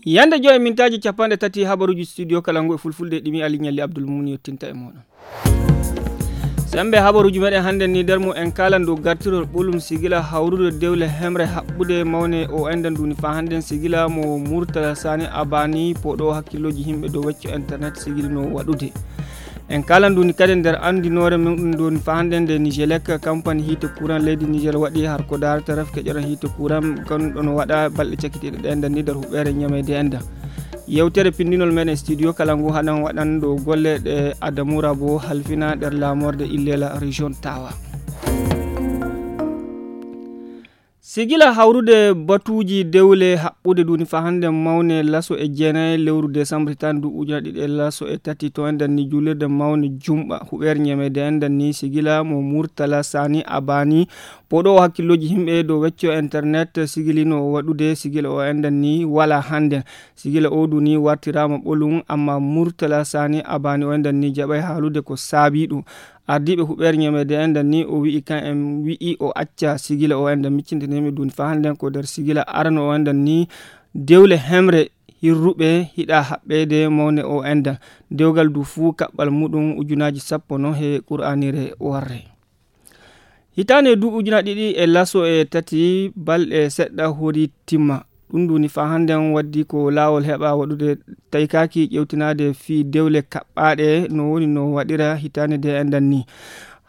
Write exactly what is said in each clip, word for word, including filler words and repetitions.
Yande joy mintaaji capanɗe tati habaruuji studio kala ngu e fulfulde ɗimi Ali Ñalli Abdul Mun yettinta e mooɗon. Sembe habaruuji meɗen hannde ni nder mum en kaalan dow gartirol ɓolum sigila hawrude dewle hemre haɓɓude mawne o enɗan duni faa hannden sigila mo Murtala Sani Abani poɗo hakkillooji yimɓe dow wecco internet sigilino waɗude. En kaalan duni kadi nder anndinoore mum ɗum duni faa hannden nde Nigelec kampani hiite courant leydi Niger waɗi har ko daarata ref keƴoran hiite courant gonɗo no waɗa balɗe cakkitiiɗe ɗe enɗan ni nder huɓeere ñameede enɗan. Yewtere pindinol meɗen studio kala ngu haɗan waɗan ɗo golle ɗe Adamu Rabo halfina nder laamorde Illela région Tawa. Sigila hawrude batuuji dewle haɓɓude duni faa hannden mawne laso e jeenayi lewru décembre tan du ujuna ɗiɗi e laso e tati to enɗan ni juulirde mawne jumɓa huɓeere ñameede enɗan ni sigila mo Murtala Sani Abani poɗo o hakkillooji yimɓe dow wecco internet sigilino o waɗude sigila o enɗan ni wala hannden. Sigila o duni wartiraama ɓolum amma Murtala Sani Abani o enɗan ni jaɓay haalude ko saabi ɗum. Ardiiɓe huɓeere ñameede enɗan ni o wi'i kan en wi'i o acca sigila o enɗan miccintini mi duni faa hannden ko nder sigila arano o enɗan ni dewle hemre hirruɓe hiɗa haɓɓeede mawne o enɗan dewgal du fuu kaɓɓal muɗum ujunaaji sappo no he qur'anire warre. Hitaande duuɓi ujunaaji ɗiɗi e laso e tati balɗe seɗɗa hori timma. Ɗum duni faa hannden waddi ko laawol heɓa waɗude taykaaki ƴewtinaade fii dewle kaɓɓaaɗe no woni no waɗira hitaande nde enɗan ni.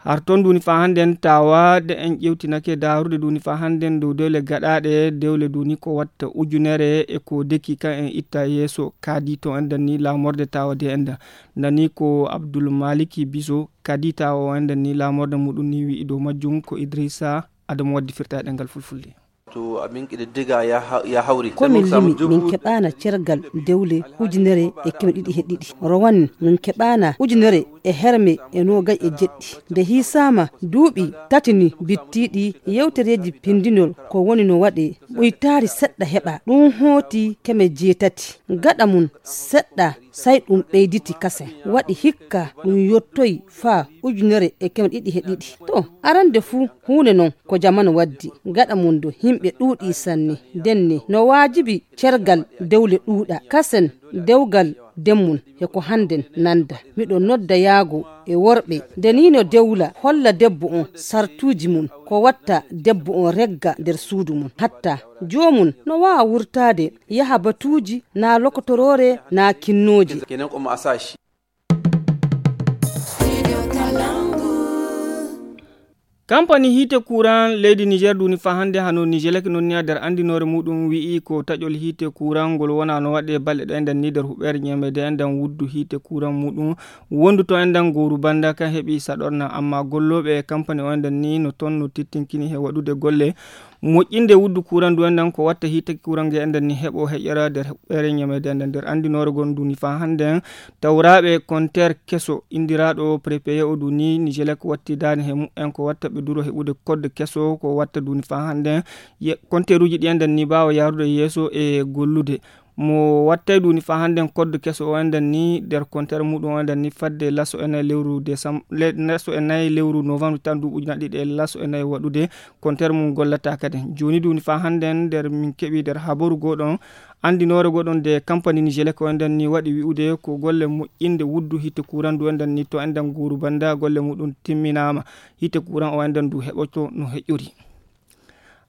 Har toon duni faa hannden tawa de en ƴewtinake daarude duni faa hannden dow dewle gaɗaaɗe dewle duni ko watta ujunere e ko deki kan en itta yeeso kaadi to enɗan ni laamorde tawa de enɗan. Nani ko Abdul Maliki Biso kadi tawa o enɗan ni laamorde muɗum ni wi'i dow majjum ko Idrissa Adamu waddi firtaade ngal fulfulde. To amin kiɗe diga ya ha-, ya hawri. Ko min limi, min keɓaana cergal dewle ujunere e keme ɗiɗi he ɗiɗi. Rowan min keɓaana ujunere e herme e noogay e jeɗɗi. Nde hiisaama duuɓi tati ni bittiiɗi yewtereeji pindinol ko woni no waɗe ɓuytaari seɗɗa heɓa. Ɗum hooti keme jeetati. Gaɗa mum seɗɗa say ɗum ɓeyditi kasen. Waɗi hikka ɗum yottoyi faa ujunere e keme ɗiɗi he ɗiɗi. To, arande fuu huunde non ko jamanu waddi. Gaɗa mum do yimɓe ɗuuɗi sanne. Ndenne no waajibi cergal dewle ɗuuɗa. Kasen dewgal demmum he ko hannden nanda. Miɗo nodda yaago e worɓe. Nde nii no dewla holla debbo on sartuuji mum. Ko watta debbo on regga nder suudu mum. Hatta joomum no waawa wurtaade yaha batuuji naa lokotoroore naa kinnooje. Kenan ko mo a sa shi. Kampani hiite kuran leydi Niger duni faa hannde hano Nigelec non ni nder anndinoore muɗum wi'i ko taƴol hiite kuran ngol wona no waɗe balɗe ɗe enɗan ni nder huɓeere ñameede enɗan wuddu hiite kuran muɗum wondu to enɗan gooru bannda kan heɓi saɗorna amma gollooɓe e kampani o enɗan ni no ton no tittinkini he waɗude golle moƴƴinde wuddu kuran du enɗan ko watta hiite kuran nge enɗan ni heɓo heƴora nder huɓeere ñameede enɗan nder anndinoore gon duni faa hannde tawraaɓe konteer keso inndiraaɗo prépayé o duni Nigelec watti daane he mumen ko watta ɓe duro heɓude kodde keso ko watta duni faa hannde konteeruuji ɗi enɗan ni mbaawa yahrude yeeso e gollude mo wattay duni faa hannde kodde keso o enɗan ni nder konteer muɗum o enɗan ni fadde laso e nayi lewru décembre laso e nayi lewru novembre tan duuɓi ujunaaji ɗiɗi e laso e nayi waɗude konteer mum gollata kadi jooni duni faa hannde nder min keɓi nder habaru goɗon anndinoore goɗon nde kampani Nigelec o enɗan ni waɗi wi'ude ko golle moƴƴinde wuddu hiite kuran du enɗan ni to enɗan guuru bannda golle muɗum timminaama hiite kuran o enɗan du heɓoto no heƴƴori.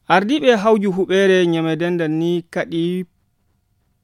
Ardiiɓe hawju huɓeere ñameede enɗan ni kaɗi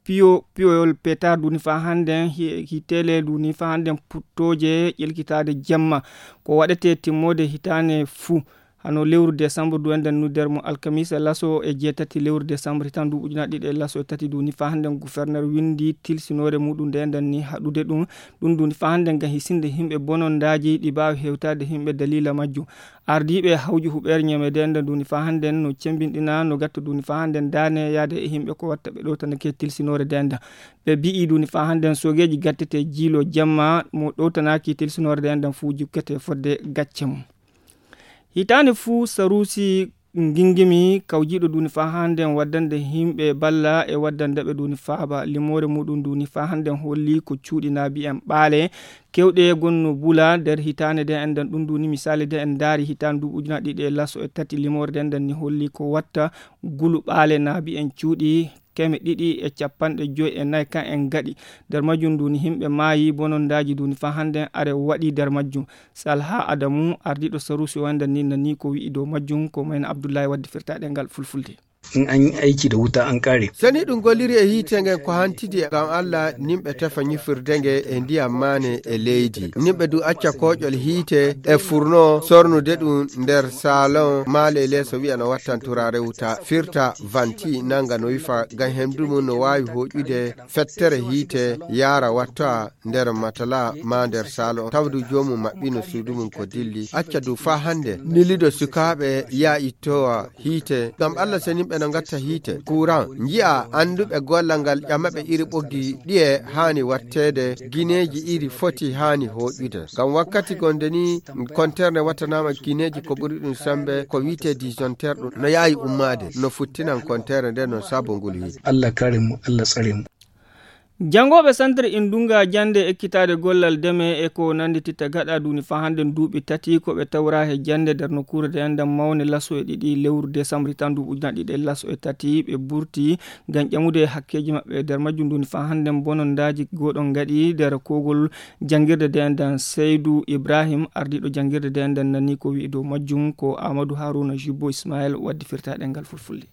piyo piyoyol petar duni faa hannden hi- hitele duni faa hannden puttooje ƴelkitaade jemma ko waɗete timmoode hitaane fuu hano lewru décembre du enɗan nu nder mo alkamisa laso e jeetati lewru décembre hitan duuɓi ujunaaji ɗiɗi e laso e tati duni faa hannden gouverneur winndi tilsinoore muɗum nde enɗan ni haɗude ɗum ɗum duni faa hannden ngam hisinde yimɓe bonondaaji ɗi mbaawi hewtaade yimɓe daliila majjum. Ardiiɓe hawju huɓeere ñameede enɗan duni faa hannden no cembinɗina no gatta duni faa hannden daane yaade e yimɓe ko watta ɓe ɗowtanake tilsinoore nde enɗan ɓe mbi'i duni faa hannden soogeeji gattete jiilo jemma mo ɗowtanaaki tilsinoore nde enɗan fuu jukkete fodde gacce mum. Hitaande fuu saruusi ngingimi kawjiiɗo duni faa hannden waddande yimɓe balla e waddande ɓe duni faaba limoore muɗum duni faa hannden holli ko cuuɗi naabi en ɓaale kewɗe gonno bula nder hitaande nde enɗan ɗum duni misaali nde en ndaari hitaande duuɓi ujunaaji ɗiɗi e laso e tati limoore nde enɗan ni holli ko watta gulu ɓaale naabi en cuuɗi teemeɗɗe ɗiɗi e capanɗe joy e nayi kan en gaɗi. Nder majjum nduni himɓe maayi, bonondaaji nduni fa hannden are waɗi nder majjum. Salha Adamu, ardiiɗo sarusi o enden ni, nani ko wi'i dow majjum, ko mayna Abdullahi waddi firtaaɗe ngal fulfulde. In an yi aiki da wuta an kare. Sani ɗum golliri e hiite ngen ko hantidi e ngam Allah nimɓe tefa ñifirde nge e ndiyam maane e leydi. Nimɓe du acca koƴol hiite e furno sornude ɗum nder salon maale leeso wi'a no wattan turaare wuta firta vanti nanga no wifa ngam hemdu mum no waawi hoƴude fettere hiite yaara watta nder matala ma nder salon tawdu joomum maɓɓino suudu mum ko dilli acca du faa hannde nilido sukaaɓe yaa ittowa hiite ngam Allah senimɓe no ngatta hiite kuran nji'a annduɓe gollal ngal ƴamaɓe iri ɓoggi ɗiye haani watteede gineeji iri foti haani hoƴude ngam wakkati gonde ni konterne wattanaama gineeji ko ɓuri ɗum sembe ko wi'ete disjoncteur ɗum no yaawi ummaade no futtinan kontere nde no sabo ngol hiite. Allah kare mu Allah tsare mu. Janngooɓe santre indunga jannde ekkitaade gollal deme e ko nanndititta gaɗa duuni faa hannden duuɓi tati ko ɓe tawra he jannde nder nokkuure de enɗam mawne laso e ɗiɗi lewru desambri tan duuɓi ujunaaji ɗiɗi e laso e tati ɓe burti ngam ƴamude hakkeeji maɓɓe nder majjum duuni faa hannden bonondaaji gooɗon ngaɗi nder koogol janngirde de enɗam seydu ibrahim ardiiɗo janngirde de enɗam nani ko wi'i dow majjum ko amadou haruna jubbo ismael waddi firtaaɗe ngal fulfulde.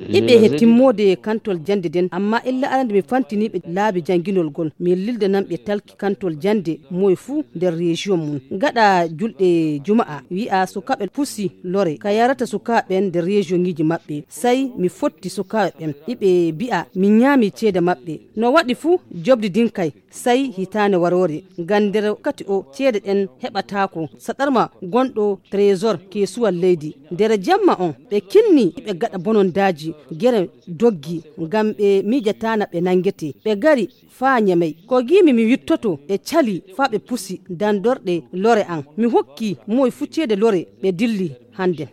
Iɓe he timmoode kantol jannde nden amma illa arande mi fantiniiɓe laabi jannginol ngol mi lildananɓe talki kantol jannde moye fuu nder rejiyon mum gaɗa julɗe juma'a wi'a sukaaɓe pusi lore ka yarata sukaaɓe ɓen nder rejiyoŋiiji maɓɓe. Sey mi fotti sukaaɓe ɓen iɓe mbi'a mi nyaami ceede maɓɓe. No waɗi fuu jobdi ndin kay sey hitaande waroore ngam nder wakkati o ceede ɗen heɓataako saɗarma gonɗo tresor keesuwal leydi. Nder jemma on ɓe kinni ɓe gaɗa bonondaaji gere doggi ngam ɓe miijataana ɓe nanngete ɓe ngari faa ñamey ko ngiimi mi wittoto ɓe calii faa ɓe pusi danndorɗe lore an mi hokki moy fuu ceede lore ɓe dilli hannden.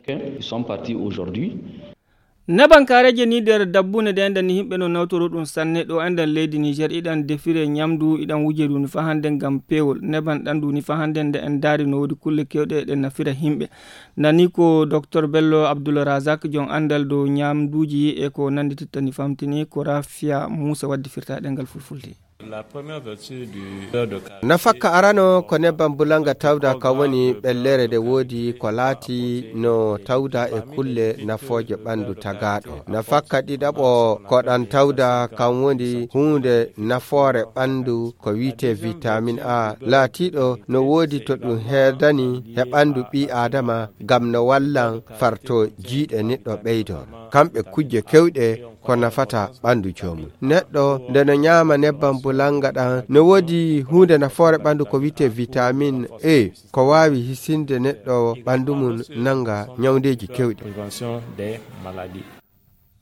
Nebankareeje ni nder dabbune de enɗan ni himɓe no nawtoro ɗum sanne ɗo enɗan leydi niger iɗan defire ñamdu iɗan wuje duni fa hannde ngam peewol neban ɗan duni fa hannde nde en daari no woodi kulle kewɗe ɗe nafira himɓe. Nani ko docteur bello abdoul razak jon anndal dow ñamduuji e ko nanndititta ni famtini ko rafia moussa waddi firtaɗe ngal fulfulde. Nafakka arano ko nebban bulanga tawda kan woni ɓellere nde woodi ko laati no tawda e kulle nafooje ɓanndu tagaaɗo. Nafakka ɗiɗaɓo ko ɗan tawda kan woni huunde nafoore ɓanndu ko wi'etee vitamin A laatiiɗo no woodi to ɗum heedani he ɓanndu ɓii aadama ngam no wallan farto jiiɗe neɗɗo ɓeydo. Kamɓe kujje kewɗe ko nafata ɓanndu joomum. Neɗɗo nde no ñaama nebban bulannga ɗan no woodi huunde nafoore ɓanndu ko wi'etee vitamin E ko waawi hisinde neɗɗo ɓanndu mum nannga ñawndeeji kewɗi.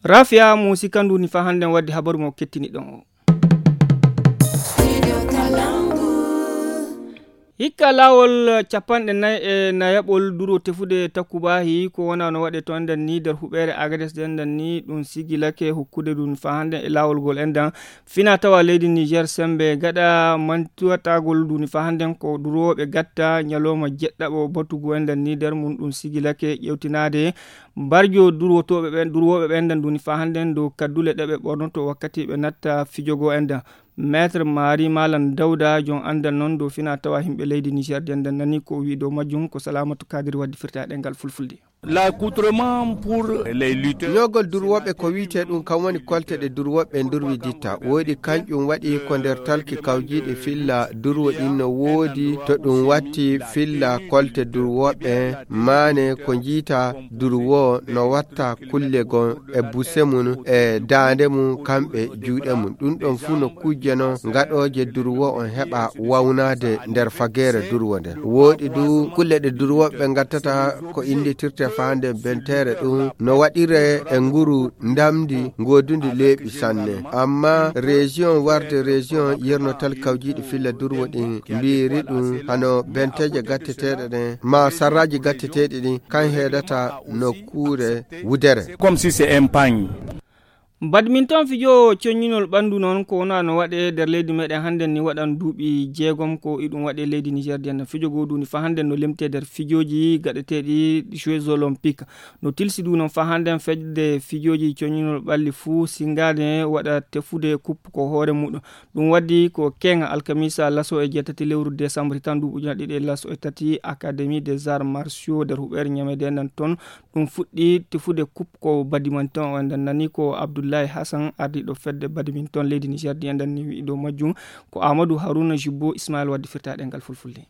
Rafiya mo sikandu ni fa hannden waddi habaru mo kettiniɗon o. Hikka laawol capanɗe nayi e nayaɓol duro tefude takubahi ko wona no waɗe to enɗan ni nder huɓeere agades ɗe enɗan ni ɗum sigilake hokkude ɗum fa hannden e laawol ngol enɗan fina tawa leydi niger sembe gaɗa mantuwatagol ɗum fa hannden ko durooɓe gatta ñalawma jeɗɗaɓo batugu enɗan ni nder mum ɗum sigilake ƴewtinaade mbarjo durwotooɓe ɓen durwooɓe ɓe enɗan ɗum fa hannden dow kaddule ɗe ɓe ɓornoto wakkati ɓe natta fijogo enɗan. Maître Mari Malam Dawda jon anndal noon dow fina tawa himɓe leydi Niger de nde nani ko o wi dow majjum ko Salamatu Kadiri waddi firtaɗe ngal fulfulde. L'accoutrement pour les lutteurs. Ñoogol durwooɓe ko wiyetee ɗum kam woni kolte ɗe durwooɓe durwiditta woodi kanƴum waɗi ko nder talki kawjiiɗi filla durwo ɗin no woodi to ɗum watti filla kolte durwooɓe maane ko njiita durwo no watta kulle gon e buse mum e daande mum kamɓe juuɗe mum ɗum ɗon fuu no kujje non gaɗooje durwo on heɓa wawnaade nder fageere durwo nden wooɗi du kulle ɗe durwooɓe ɓe ngattata ko innditirte faande benteere ɗum no waɗire e nguru ndamndi ngoodundi leeɓi sanne amma région warde région yernotal kawjiiɗi filla durwo ɗin mbiiri ɗum hano benteeje gatteteeɗe ɗen ma sarraaji gatteteeɗi ɗin kan heedata nokkuure wudere. Comme si c'est un pagne. Badminton, fijo coññinol ɓanndu noon, ko wona no waɗe nder leydi meɗen hannden ni, waɗan duuɓi jeegom ko iɗum waɗe leydi Niger. Ndiyan fijo goo duuni fa hannden no lemte nder fijoji gaɗeteeɗi Jeux Olympiques. No tilsi du noon fa hannden fedde fijoji coññinol ɓalli fuu singaade waɗa tefude kup ko hoore muɗum. Ɗum waddi ko keŋa alkamisa laso e jeetati lewru décembre tan duuɓi ujunaaji ɗiɗi e laso e tati, Académie des Arts Martiaux nder huɓeere ñamede nan toon. Ɗum fuɗɗi tefude kup ko badminton, on ɗan nani ko Abdoulaye Hassan, ardiiɗo fedde badminton leydi Niger, ndiyan ɗan ni wi'i dow majjum. Ko Amadou Harouna Jibbo Ismaël waddi firtaaɗe ngal fulfulde.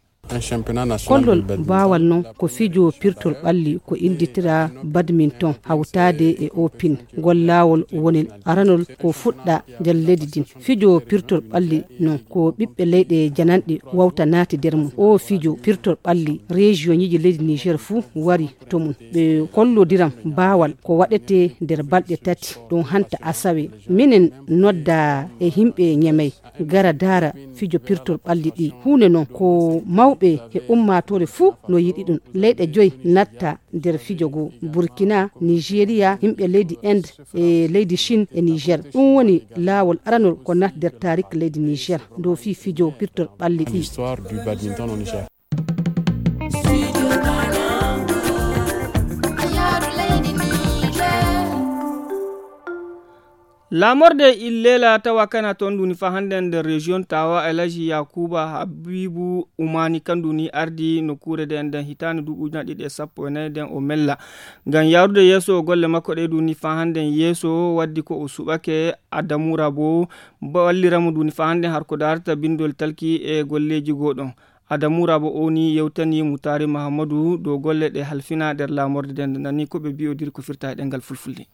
Kollol baawal non ko fijo pirtol ɓalli ko innditira badminton hawtaade e opin. Ngol laawol woni aranol ko fuɗɗa nder leydi din. Fijo pirtol ɓalli non ko ɓiɓɓe leyɗe jananɗe wawta naati nder mum. O fijo pirtol ɓalli, rejiyoŋiiji leydi Niger fuu wari to mum. Ɓe kollodiran baawal ko waɗete nder balɗe tati. Ɗum hanta asawe. Minen nodda e yimɓe ñamey gara daara fijo pirtol ɓalli ɗi. Huunde non ko mawɓe e ummaatoore fuu no yiɗi ɗum. Leyɗe joy natta nder fijo goo: Burkina, Nigeria, yimɓe leydi Inde e leydi Chine e Niger. Ɗum woni laawol aranol ko naat nder taarik leydi Niger dow fii fijo pirtol ɓalli ɗi. Laamorde Illela tawa kana toon nduni fa hannde nder région Tawa, Alhaji Yakuba Habibu Umani kandu ni ardi nokkuure nde nden hitaande duuɓi ujunaaji ɗiɗi e sappo e nayi nden o mella ngam yaarude yeeso golle makko ɗe nduni fa hannde yeeso. Waddi ko o suɓake Adamu Rabo, wallira mo nduni fa hannde har ko daarata bindol talki e golleeji goo ɗon. Adamu Rabo o ni yewtani Mutaari Mahammadu dow golle ɗe halfina nder laamorde nden, nani ko ɓe mbi'odiri ko firta e ɗemngal fulfulde.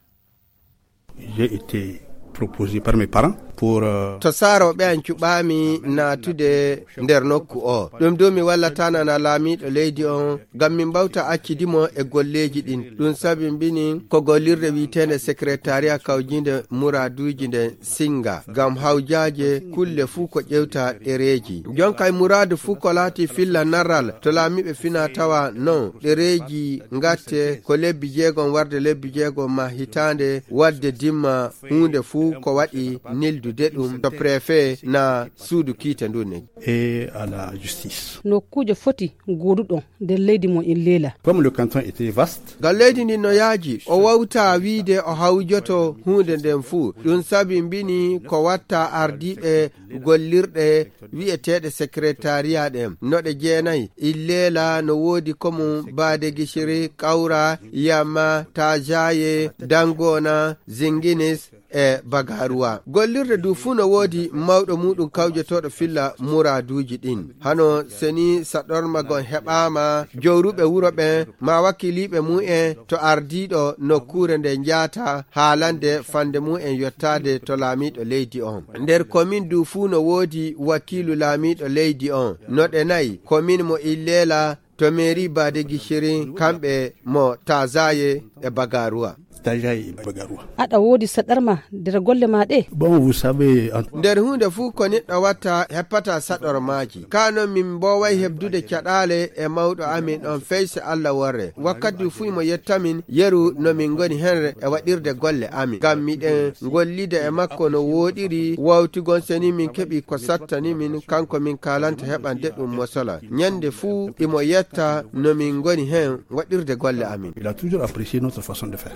J'ai été proposé par mes parents pour, euh, To saarooɓe an cuɓaami naatude nder nokku o. Ɗum du mi wallataanana laamiiɗo leydi on, ngam min mbawta accidi mo e golleeji ɗin. Ɗum sabi mbini ko gollirde wi'eteende secrétariat kawjinde muraaduuji nden singa, ngam hawjaaje kulle fuu ko ƴewta ɗereeji. Jonka e muraadu fuu ko laati filla narral to laamiiɓe fina tawa non ɗereeji ngatte ko lebbi jeegom warde lebbi jeegom ma hitaande wadde dimma huunde fuu ko waɗi nildude ɗum to préfet na suudu kiite ndun ne. Et à la justice. Nokkuuje foti gooduɗon nder leydi mon Illela. Comme le canton était vaste. Ngam leydi ndin no yaaji, o wawta wiide o hawjoto huunde nden fuu. Ɗum sabi mbini ko watta ardiiɓe gollirɗe wi'eteeɗe secrétariat ɗen. No ɗe jeenayi. Illela no woodi ko mum Baade Gishiri, Kawra, Yamma, Tajaye, Dangona, Zinginis, e Bagaruwa. Gollirde du fuu no woodi mawɗo muuɗum kawjotooɗo filla muraaduuji ɗin. Hano seni saɗormagon heɓaama, jowruɓe wuro ɓen, ma wakiiliiɓe mu'en to ardiiɗo nokkuure nde njaata haalande fande mu'en yottaade to laamiiɗo leydi on. Nder komin du fuu no woodi wakiilu laamiiɗo leydi on. No ɗe nayi, komin mo Illela, to mairie Baade Gishiri, kamɓe mo Tazaye e Bagaruwa. Tazaye e Bagaruwa. Aɗa woodi saɗarma nder golle ma ɗe? Bon, vous savez, en- Nder huunde fuu ko neɗɗo watta, heppata saɗormaaji. Ka non min mbooway heɓdude caɗaale e mawɗo amin on, fey se Allah worre. Wakkati fuu imo yettamin yeru no min ngoni hen e waɗirde golle amin. Ngam miɗen gollida e makko no wooɗiri, wawtigon seni min keɓi ko sattani min, kanko min kaalanta heɓande ɗum mosola. Ñande fuu imo yetta no min ngoni hen waɗirde golle amin. Il a toujours apprécié notre façon de faire.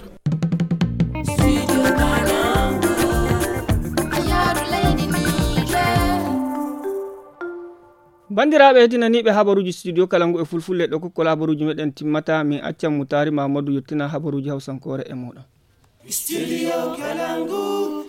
Banndiraaɓe heɗinaniiɓe habaruuji studio kala ngu e fulfulde ɗo kokkol habaruuji meɗen timmata, min accan Mutaari Mamadou yettina habaruuji hawsankoore e muɗum. Studio Kalangu.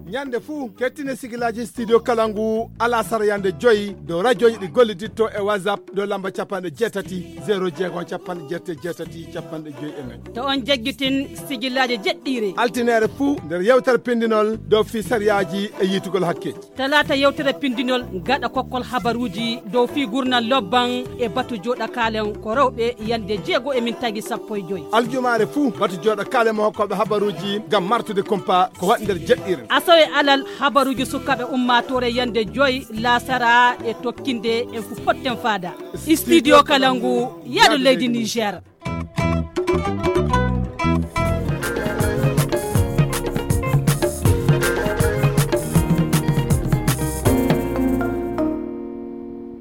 Ñande fuu, kettine sigilaaji Studio Kalangu, alasara yande joyi, dow rajooji ɗi golliditto e WhatsApp, dow lamba capanɗe jeetati, zéro jeegom, capanɗe jeetati, jeetati, capanɗe joyi e nayi. To on jaggitin sigilaaji jeɗɗiire. Altineere fuu, nder yewtere pindinol, dow fii sariyaaji e yiitugol hakke. Talaata yewtere pindinol gaɗa kokkol habaruuji dow fii gurnal lobban e batu jooɗakaalen ko rewɓe yande jeego e mintaaji sappo e joy. Aljumaare fuu batu jooɗakaalen mo hokkooɓe habaruuji ngam martude kumpa ko waɗi nder jeɗɗiire. Asawe alal habaruuji sukaaɓe ummaatoore yande joy laasara e tokkinde en fu potten faada. Studio Kalangu, yaadu leydi Niger.